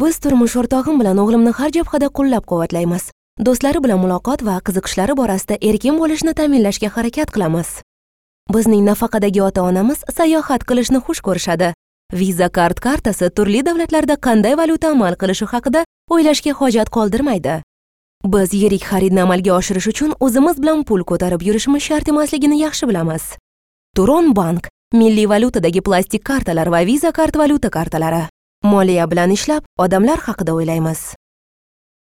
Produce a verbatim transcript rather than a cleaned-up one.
Biz turmush o'rtog'im bilan o'g'limni har jabhada qo'llab-quvvatlaymiz. Do'stlari bilan muloqot va qiziqishlari borasida erkin bo'lishni ta'minlashga harakat qilamiz. Bizning nafaqadagi ota-onamiz sayohat qilishni xush ko'rishadi. Visa Card kartasi turli davlatlarda qanday valyuta amal qilishi haqida o'ylashga hojat qoldirmaydi. Biz yirik xaridni amalga oshirish uchun o'zimiz bilan pul ko'tarib yurishimiz shart emasligini yaxshi bilamiz. Turon Bank milliy valyutadagi plastik kartalar va Visa Card valyuta kartalari. Moliya bilan ishlab, odamlar haqida o'ylaymiz.